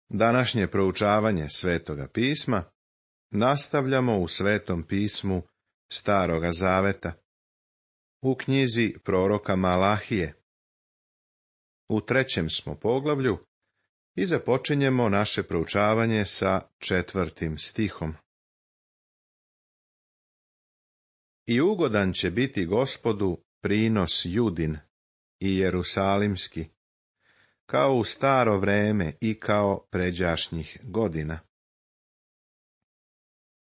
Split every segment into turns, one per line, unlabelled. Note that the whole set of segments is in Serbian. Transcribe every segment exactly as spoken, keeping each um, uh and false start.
Današnje proučavanje Svetoga pisma nastavljamo u Svetom pismu Staroga zaveta, u knjizi proroka Malahije. U trećem smo poglavlju i započinjemo naše proučavanje sa četvrtim stihom. I ugodan će biti Gospodu prinos Judin i Jerusalimski, kao u staro vreme i kao pređašnjih godina.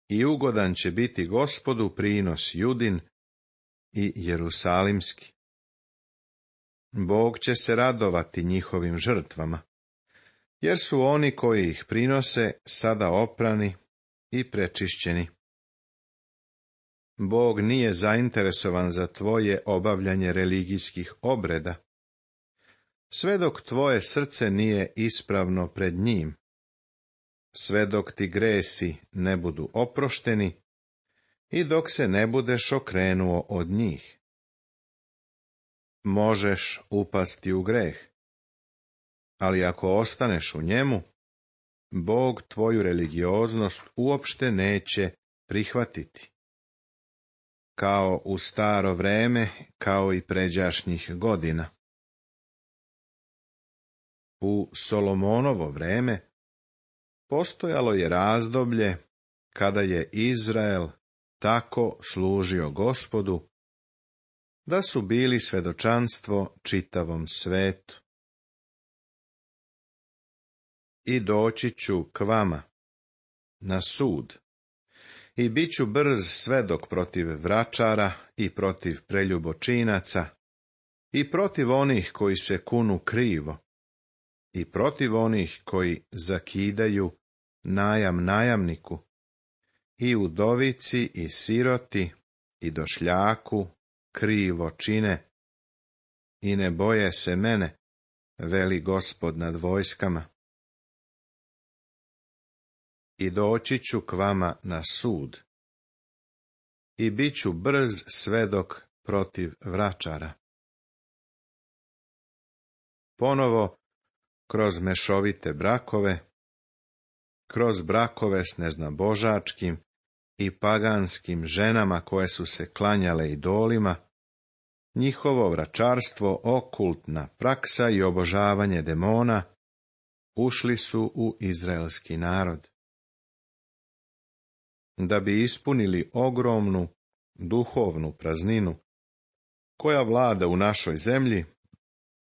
I ugodan će biti Gospodu prinos Judin i Jerusalimski. Bog će se radovati njihovim žrtvama, jer su oni koji ih prinose sada oprani i prečišćeni. Bog nije zainteresovan za tvoje obavljanje religijskih obreda, sve dok tvoje srce nije ispravno pred njim, sve dok ti gresi ne budu oprošteni i dok se ne budeš okrenuo od njih. Možeš upasti u greh, ali ako ostaneš u njemu, Bog tvoju religioznost uopšte neće prihvatiti. Kao u staro vreme, kao i pređašnjih godina. U Solomonovo vreme postojalo je razdoblje kada je Izrael tako služio Gospodu, da su bili svedočanstvo čitavom svetu. I doći ću k vama na sud, i bit ću brz svedok protiv vračara i protiv preljubočinaca, i protiv onih koji se kunu krivo, i protiv onih koji zakidaju najam najamniku, i udovici i siroti i došljaku krivo čine, i ne boje se mene, veli Gospod nad vojskama. I doći ću k vama na sud, i bit ću brz svedok protiv vračara. Ponovo, kroz mešovite brakove, kroz brakove s neznabožačkim i paganskim ženama koje su se klanjale idolima, njihovo vračarstvo, okultna praksa i obožavanje demona ušli su u izraelski narod. Da bi ispunili ogromnu duhovnu prazninu koja vlada u našoj zemlji,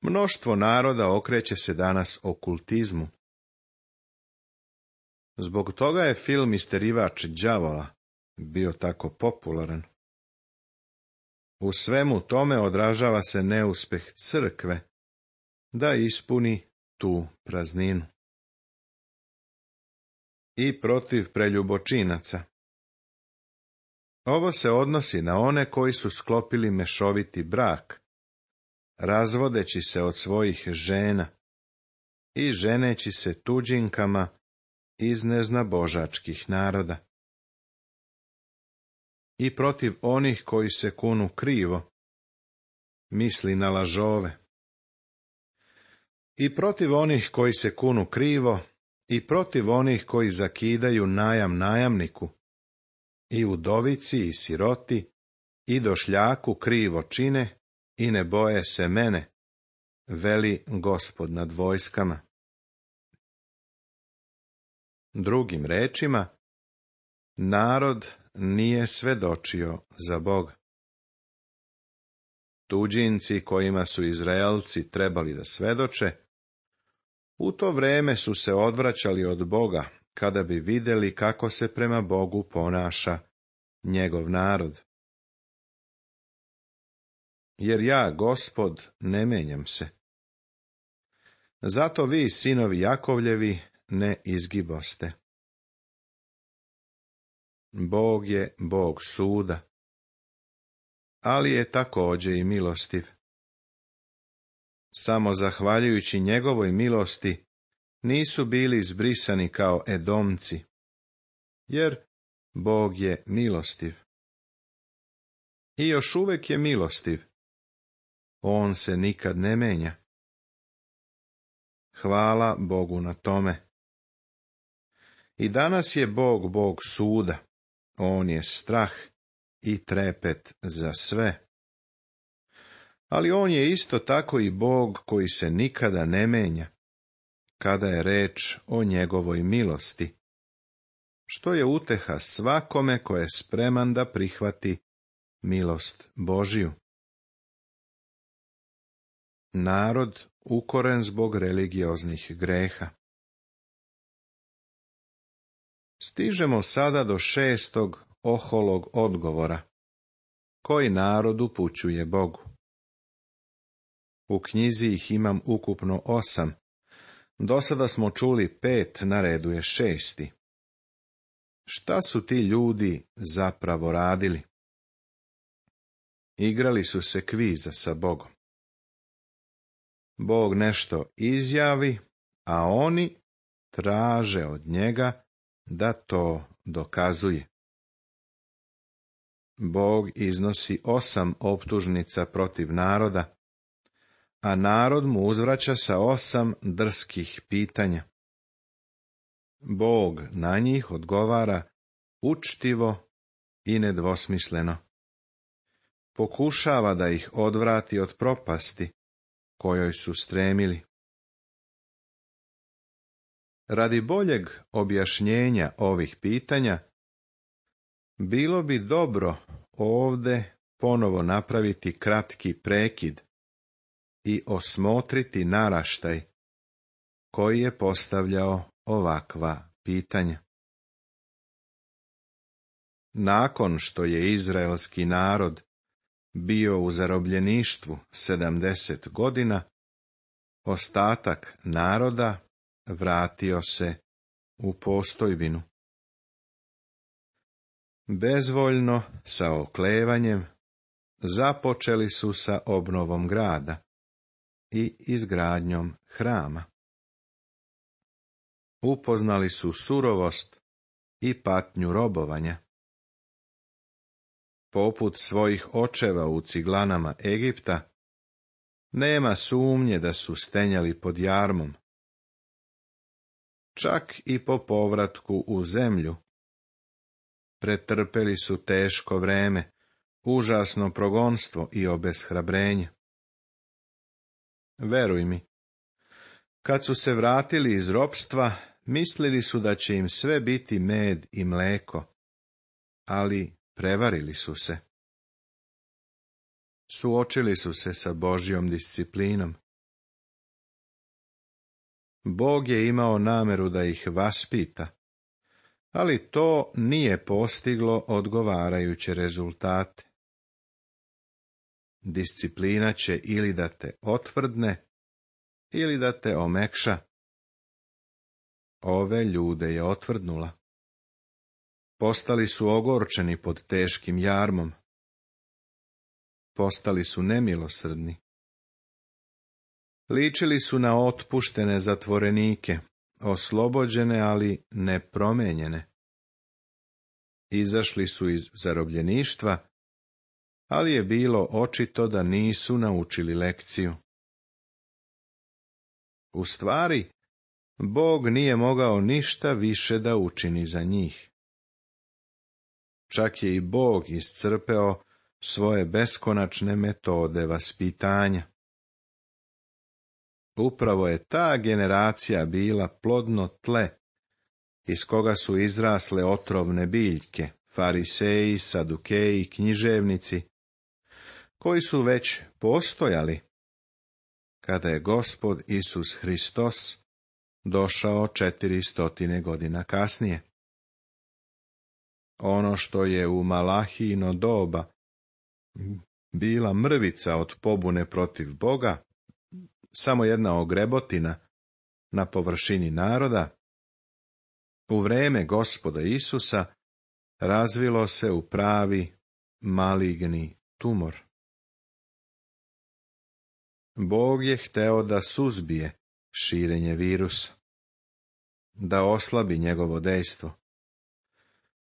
mnoštvo naroda okreće se danas okultizmu. Zbog toga je film Isterivač đavola bio tako popularan. U svemu tome odražava se neuspeh crkve da ispuni tu prazninu. I protiv preljubočinaca. Ovo se odnosi na one koji su sklopili mešoviti brak, razvodeći se od svojih žena i ženeći se tuđinkama iz neznabožačkih naroda. I protiv onih koji se kunu krivo, misli na lažove. I protiv onih koji se kunu krivo, i protiv onih koji zakidaju najam najamniku, i udovici i siroti, i došljaku krivo čine, i ne boje se mene, veli Gospod nad vojskama. Drugim rečima, narod nije svedočio za Boga. Tuđinci kojima su Izraelci trebali da svedoče, u to vreme su se odvraćali od Boga, kada bi vidjeli kako se prema Bogu ponaša njegov narod. Jer ja, Gospod, ne menjam se. Zato vi, sinovi Jakovljevi, ne izgiboste. Bog je Bog suda, ali je također i milostiv. Samo zahvaljujući njegovoj milosti nisu bili izbrisani kao Edomci, jer Bog je milostiv. I još uvek je milostiv. On se nikad ne menja. Hvala Bogu na tome. I danas je Bog Bog suda. On je strah i trepet za sve. Ali on je isto tako i Bog koji se nikada ne menja, kada je reč o njegovoj milosti, što je uteha svakome ko je spreman da prihvati milost Božju. Narod ukoren zbog religioznih greha. Stižemo sada do šestog oholog odgovora, koji narod upućuje Bogu. U knjizi ih imam ukupno osam, do sada smo čuli pet, na redu je šesti. Šta su ti ljudi zapravo radili? Igrali su se kviza sa Bogom. Bog nešto izjavi, a oni traže od njega da to dokazuje. Bog iznosi osam optužnica protiv naroda, a narod mu uzvraća sa osam drskih pitanja. Bog na njih odgovara učtivo i nedvosmisleno. Pokušava da ih odvrati od propasti kojoj su stremili. Radi boljeg objašnjenja ovih pitanja, bilo bi dobro ovde ponovo napraviti kratki prekid i osmotriti naraštaj koji je postavljao ovakva pitanja. Nakon što je izraelski narod bio u zarobljeništvu sedamdeset godina, ostatak naroda vratio se u postojbinu. Bezvoljno, sa oklevanjem, započeli su sa obnovom grada i izgradnjom hrama. Upoznali su surovost i patnju robovanja. Poput svojih očeva u ciglanama Egipta, nema sumnje da su stenjali pod jarmom. Čak i po povratku u zemlju, pretrpeli su teško vreme, užasno progonstvo i obeshrabrenje. Veruj mi, kad su se vratili iz ropstva, mislili su da će im sve biti med i mleko, ali prevarili su se. Suočili su se sa Božjom disciplinom. Bog je imao nameru da ih vaspita, ali to nije postiglo odgovarajuće rezultate. Disciplina će ili da te otvrdne, ili da te omekša. Ove ljude je otvrdnula. Postali su ogorčeni pod teškim jarmom. Postali su nemilosrdni. Ličili su na otpuštene zatvorenike, oslobođene, ali nepromenjene. Izašli su iz zarobljeništva, ali je bilo očito da nisu naučili lekciju. U stvari, Bog nije mogao ništa više da učini za njih. Čak je i Bog iscrpeo svoje beskonačne metode vaspitanja. Upravo je ta generacija bila plodno tle, iz koga su izrasle otrovne biljke, fariseji, sadukeji, književnici, koji su već postojali kada je Gospod Isus Hristos došao četiristotine godina kasnije. Ono što je u Malahijino doba bila mrvica od pobune protiv Boga, samo jedna ogrebotina na površini naroda, u vreme Gospoda Isusa razvilo se u pravi maligni tumor. Bog je hteo da suzbije širenje virusa, da oslabi njegovo dejstvo,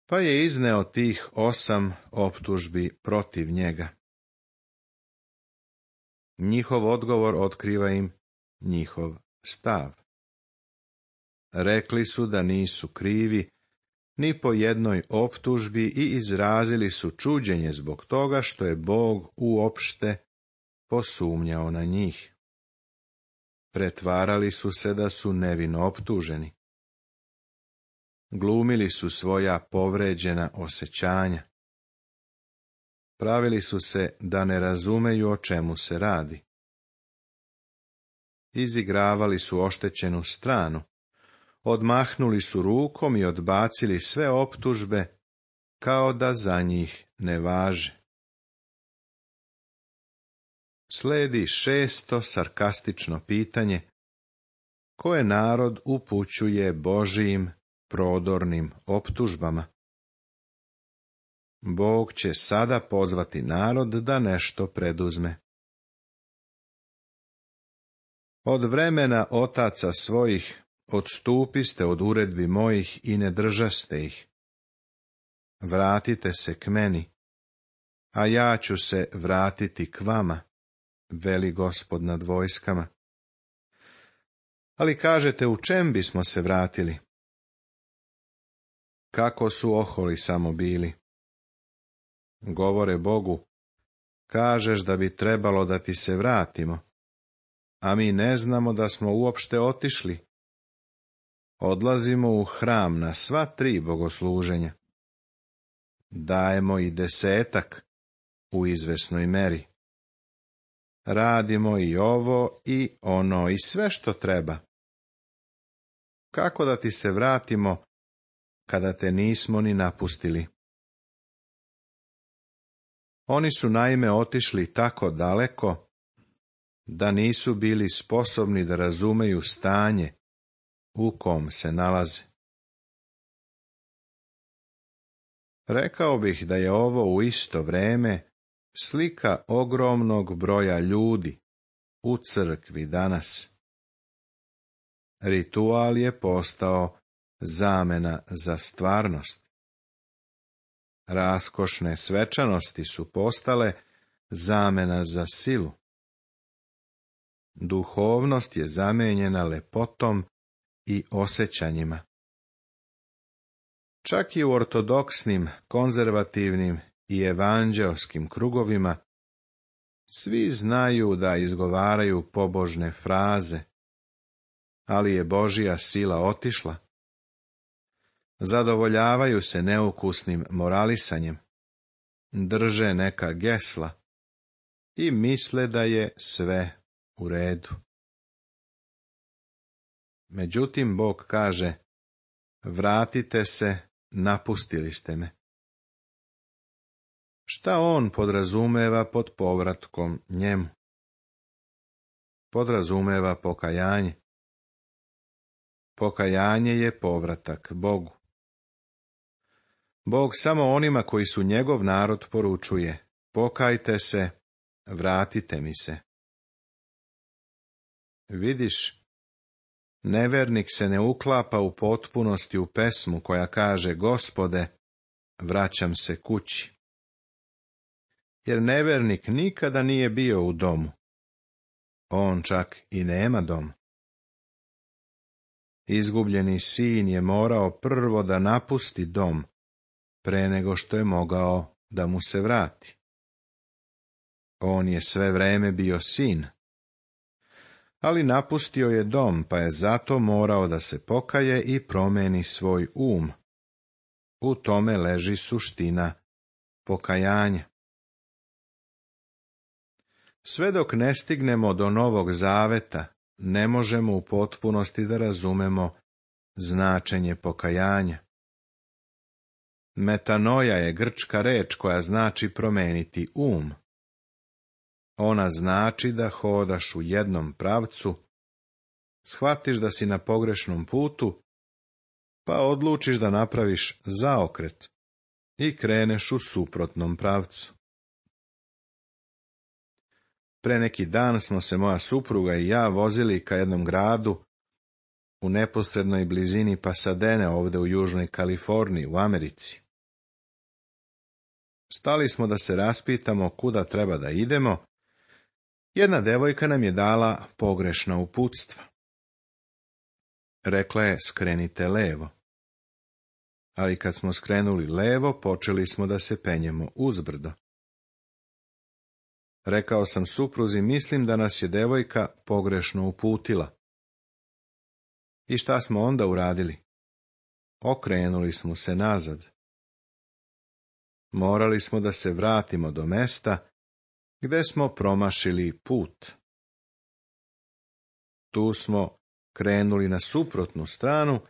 pa je izneo tih osam optužbi protiv njega. Njihov odgovor otkriva im njihov stav. rekli su da nisu krivi ni po jednoj optužbi i izrazili su čuđenje zbog toga što je Bog uopšte posumnjao na njih. Pretvarali su se da su nevino optuženi. Glumili su svoja povređena osjećanja. Pravili su se da ne razumeju o čemu se radi. Izigravali su oštećenu stranu, odmahnuli su rukom i odbacili sve optužbe, kao da za njih ne važe. Sledi šesto sarkastično pitanje, koje narod upućuje Božijim prodornim optužbama. Bog će sada pozvati narod da nešto preduzme. Od vremena otaca svojih odstupiste od uredbi mojih i ne držaste ih. Vratite se k meni, a ja ću se vratiti k vama, veli Gospod nad vojskama. Ali kažete, u čem bismo se vratili? Kako su oholi samo bili. Govore Bogu, kažeš da bi trebalo da ti se vratimo, a mi ne znamo da smo uopšte otišli. Odlazimo u hram na sva tri bogosluženja. Dajemo i desetak u izvesnoj meri. Radimo i ovo i ono i sve što treba. Kako da ti se vratimo kada te nismo ni napustili? Oni su naime otišli tako daleko da nisu bili sposobni da razumeju stanje u kom se nalaze. Rekao bih da je ovo u isto vreme slika ogromnog broja ljudi u crkvi danas. Ritual je postao zamena za stvarnost. Raskošne svečanosti su postale zamena za silu. Duhovnost je zamenjena lepotom i osjećanjima. Čak i u ortodoksnim, konzervativnim i evanđeoskim krugovima svi znaju da izgovaraju pobožne fraze, ali je Božja sila otišla. Zadovoljavaju se neukusnim moralisanjem, drže neka gesla i misle da je sve u redu. Međutim, Bog kaže, vratite se, napustili ste me. Šta on podrazumeva pod povratkom njemu? Podrazumeva pokajanje. Pokajanje je povratak Bogu. Bog samo onima koji su njegov narod poručuje, pokajte se, vratite mi se. Vidiš, nevernik se ne uklapa u potpunosti u pesmu koja kaže, Gospode, vraćam se kući. Jer nevernik nikada nije bio u domu. On čak i nema dom. Izgubljeni sin je morao prvo da napusti dom, pre nego što je mogao da mu se vrati. On je sve vreme bio sin, ali napustio je dom, pa je zato morao da se pokaje i promeni svoj um. U tome leži suština pokajanja. Sve dok ne stignemo do Novog Zaveta, ne možemo u potpunosti da razumemo značenje pokajanja. Metanoja je grčka reč koja znači promeniti um. Ona znači da hodaš u jednom pravcu, shvatiš da si na pogrešnom putu, pa odlučiš da napraviš zaokret i kreneš u suprotnom pravcu. Pre neki dan smo se moja supruga i ja vozili ka jednom gradu u neposrednoj blizini Pasadene ovde u Južnoj Kaliforniji u Americi. Stali smo da se raspitamo kuda treba da idemo. Jedna devojka nam je dala pogrešna uputstva. Rekla je, skrenite levo. Ali kad smo skrenuli levo, počeli smo da se penjemo uzbrdo. Rekao sam supruzi, mislim da nas je devojka pogrešno uputila. I šta smo onda uradili? Okrenuli smo se nazad. Morali smo da se vratimo do mesta gde smo promašili put. Tu smo krenuli na suprotnu stranu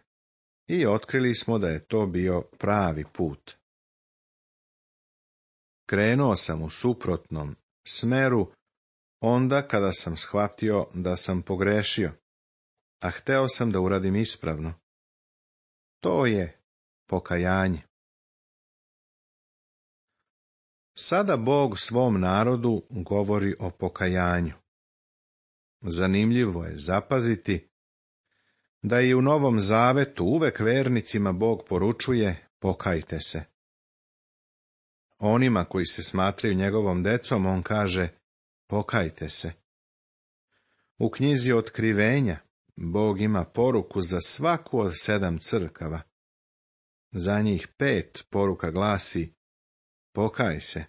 i otkrili smo da je to bio pravi put. Krenuo sam u suprotnom smeru onda kada sam shvatio da sam pogrešio, a hteo sam da uradim ispravno. To je pokajanje. Sada Bog svom narodu govori o pokajanju. Zanimljivo je zapaziti da i u Novom Zavetu uvek vernicima Bog poručuje pokajte se. Onima koji se smatraju njegovom decom, on kaže pokajte se. U knjizi Otkrivenja Bog ima poruku za svaku od sedam crkava. Za njih pet poruka glasi pokaj se.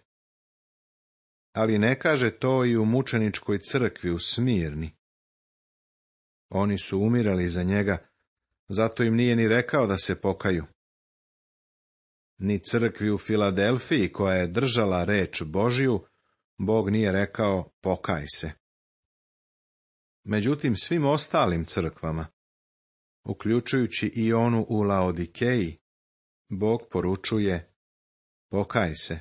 Ali ne kaže to i u mučeničkoj crkvi u Smirni. Oni su umirali za njega, zato im nije ni rekao da se pokaju. Ni crkvi u Filadelfiji, koja je držala reč Božiju, Bog nije rekao pokaj se. Međutim, svim ostalim crkvama, uključujući i onu u Laodikeji, Bog poručuje pokaj se.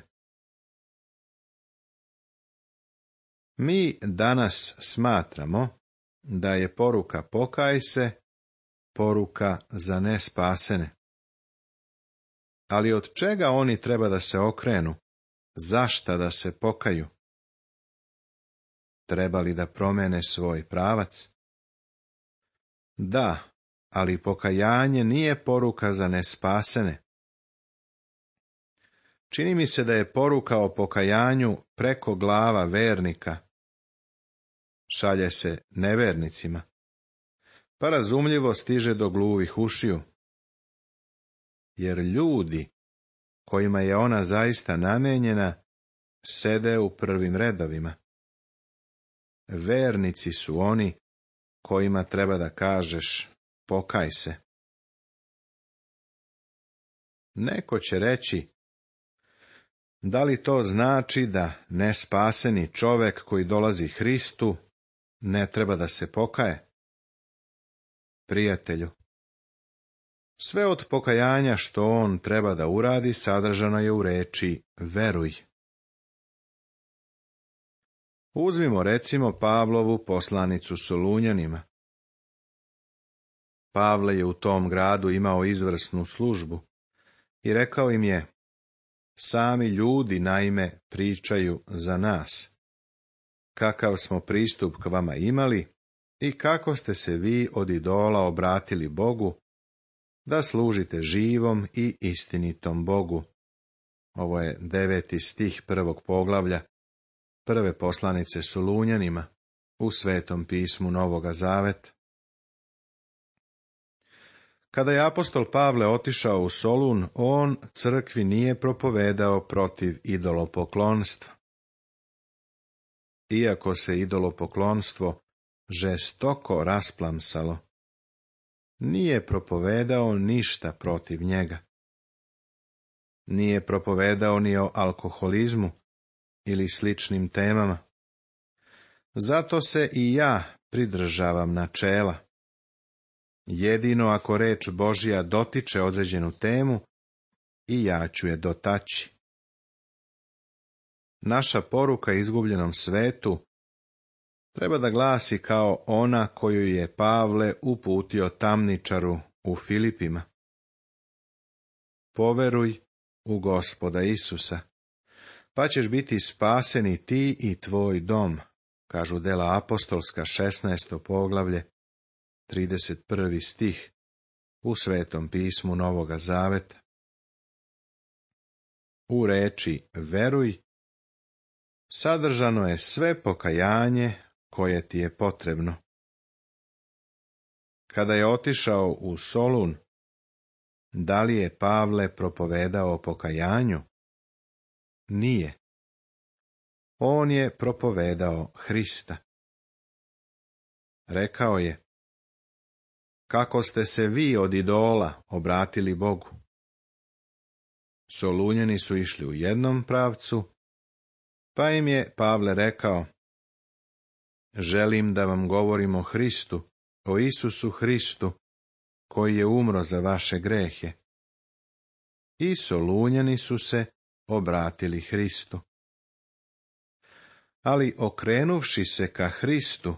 Mi danas smatramo da je poruka pokaj se poruka za nespasene. Ali od čega oni treba da se okrenu? Zašta da se pokaju? Treba li da promene svoj pravac? Da, ali pokajanje nije poruka za nespasene. Čini mi se da je poruka o pokajanju preko glava vernika. Šalje se nevernicima, pa razumljivo stiže do gluvih ušiju. Jer ljudi, kojima je ona zaista namenjena, sede u prvim redovima. Vernici su oni kojima treba da kažeš pokaj se. Neko će reći, da li to znači da nespaseni čovek koji dolazi Hristu ne treba da se pokaje? Prijatelju, sve od pokajanja što on treba da uradi sadržano je u reči veruj. Uzmimo recimo Pavlovu poslanicu Solunjanima. Pavle je u tom gradu imao izvrsnu službu i rekao im je, sami ljudi naime pričaju za nas, kakav smo pristup k vama imali i kako ste se vi od idola obratili Bogu, da služite živom i istinitom Bogu. Ovo je deveti stih prvog poglavlja prve poslanice Solunjanima u Svetom pismu Novoga Zaveta. Kada je apostol Pavle otišao u Solun, on crkvi nije propovedao protiv idolopoklonstva. Iako se idolopoklonstvo žestoko rasplamsalo, nije propovedao ništa protiv njega. Nije propovedao ni o alkoholizmu ili sličnim temama. Zato se i ja pridržavam načela. Jedino ako reč Božja dotiče određenu temu, i ja ću je dotaći. Naša poruka izgubljenom svetu treba da glasi kao ona koju je Pavle uputio tamničaru u Filipima. Poveruj u Gospoda Isusa, pa ćeš biti spasen i ti i tvoj dom, kažu dela apostolska šesnaesto poglavlje, trideset prvi stih u Svetom pismu Novoga Zaveta. U reči veruj sadržano je sve pokajanje koje ti je potrebno. Kada je otišao u Solun, da li je Pavle propovedao o pokajanju? Nije. On je propovedao Hrista. Rekao je: kako ste se vi od idola obratili Bogu? Solunjani su išli u jednom pravcu, pa im je Pavle rekao: želim da vam govorim o Hristu, o Isusu Hristu, koji je umro za vaše grehe. I Solunjani su se obratili Hristu. Ali okrenuvši se ka Hristu,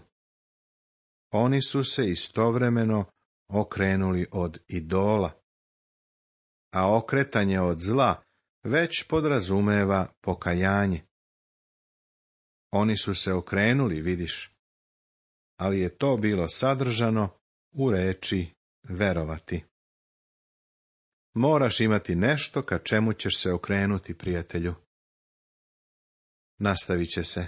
oni su se istovremeno okrenuli od idola. A okretanje od zla već podrazumeva pokajanje. Oni su se okrenuli, vidiš, ali je to bilo sadržano u reči verovati. Moraš imati nešto ka čemu ćeš se okrenuti, prijatelju. Nastavit će se